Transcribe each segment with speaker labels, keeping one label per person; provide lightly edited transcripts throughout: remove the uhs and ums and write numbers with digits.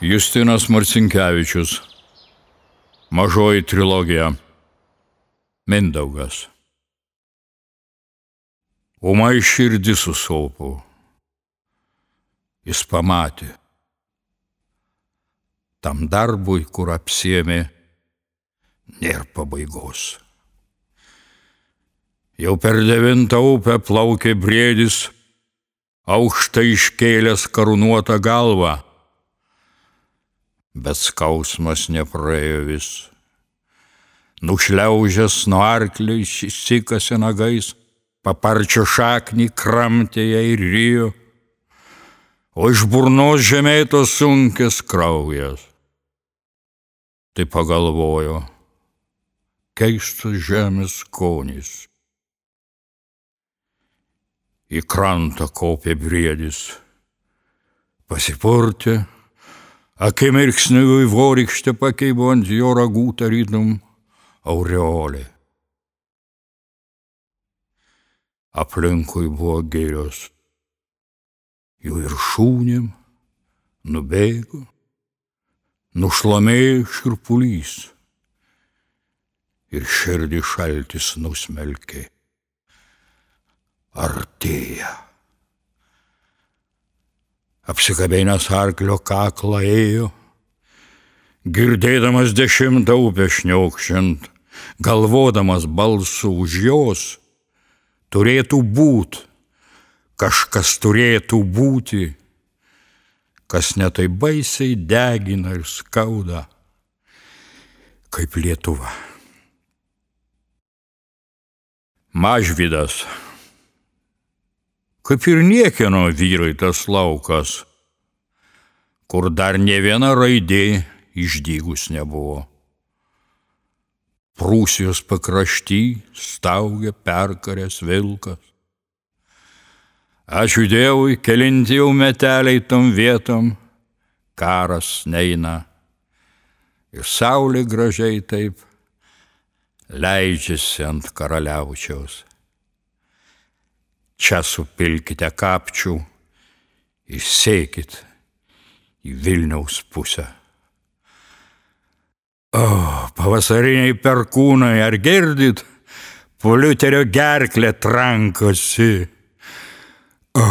Speaker 1: Justinas Marcinkevičius. Mažoji trilogija. Mindaugas. Ūmai širdis susilpo. Jis pamatė. Tam darbui, kur apsiėmė, nėra pabaigos. Jau per 9 upę plaukė briedis, aukštai iškėlęs karūnuotą galvą. Bet skausmas nepraėjo vis. Nušliaužęs nuo arklio išsikasė nagais, paparčio šaknį kramtė ją ir rijo, o iš burnos žemėto sunkės kraujas. Tai pagalvojo, keistas žemės skonis. Į krantą kopė briedis, pasipurtė, akimirksniu vaivorykštė pakeibo ant jo ragų tarytum aureolė. Aplinkui buvo girios, jų viršūnėm nubėgo, nušlamėjo šiurpulys ir širdį šaltis nusmelkė. Artėja. Apsikabinęs arklio kaklą ėjo, girdėdamas 10 upę šniokščiant, galvodamas balsu už jos, turėtų būt, kažkas turėtų būti, kas netai baisiai degina ir skauda, kaip Lietuva. Mažvydas. Kaip ir niekieno vyrai tas laukas, kur dar ne viena raidė išdygus nebuvo. Prūsijos pakrašty staugė perkaręs vilkas. Ačiū Dievui, kelinti jau meteliai tom vietom, karas neina. Ir saulė gražiai taip leidžiasi ant karaliaučiaus. Čia supilkite kapčių ir sėkit į Vilniaus pusę. O, pavasariniai perkūnai, ar girdit, po Liuterio gerklę trankosi. O,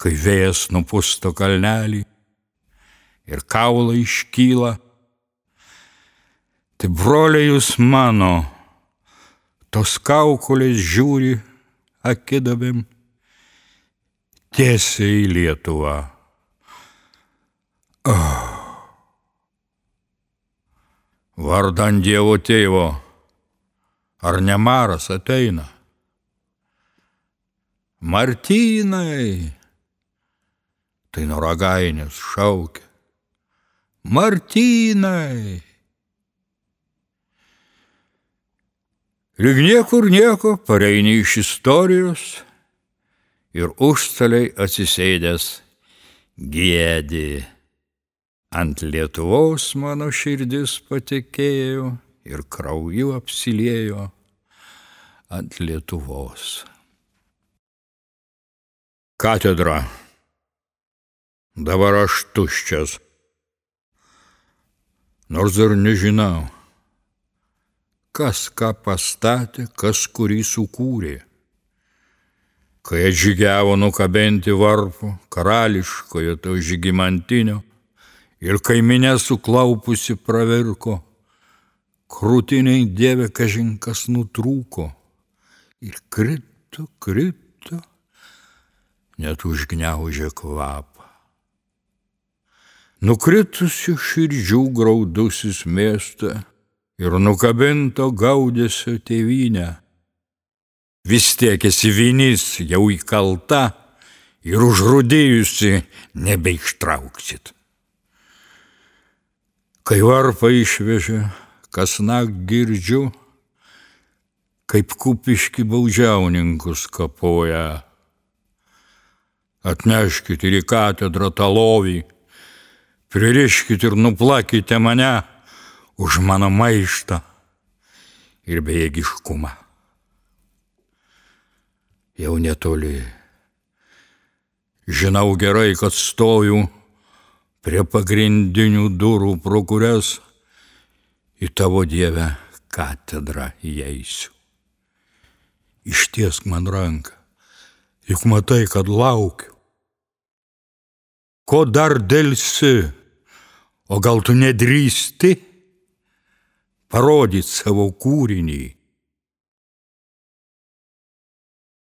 Speaker 1: kai vėjas nupusto kalnelį ir kaulai iškyla, tai broliai jūs mano, tos kaukolės žiūri akidabėm tiesiai į Lietuvą. Vardan Dievo tėvo, ar ne maras ateina? Martynai, tai nuo Ragainės šaukia. Martynai. Lyg niekur nieko pareini iš istorijos ir užstaliai atsisėdęs giedi. Ant Lietuvos mano širdis patekėjo ir krauju apsiliejo ant Lietuvos. Katedra. Dabar aš tuščias. Nors dar nežinau, kas ką pastatė, kas kurį sukūrė. Kai atžygiavo nukabinti varpo, karališkojo to žygimantinio, ir kai minia suklaupusi pravirko, krūtiniai Dieve kažin kas nutrūko, ir krito, net užgniaužė kvapą. Nukritusių širdžių graudusis miestą, ir nukabinto gaudesio tėvynę. Vis tiek esi vinis jau įkalta ir užrūdėjusi nebeištrauksit. Kai varpą išvežė, kasnakt girdžiu, kaip kupiški baudžiauninkus kapoja. Atneškit ir į katedrą tą lovį, pririškit ir nuplakite mane už mano maištą ir bejėgiškumą. Jau netoli Žinau gerai, kad stoju prie pagrindinių durų, pro kurias į tavo Dievę katedrą įeisiu. Ištiesk man ranką, juk matai, kad laukiu. Ko dar delsi, o gal tu nedrįsti parodyt savo kūrinį?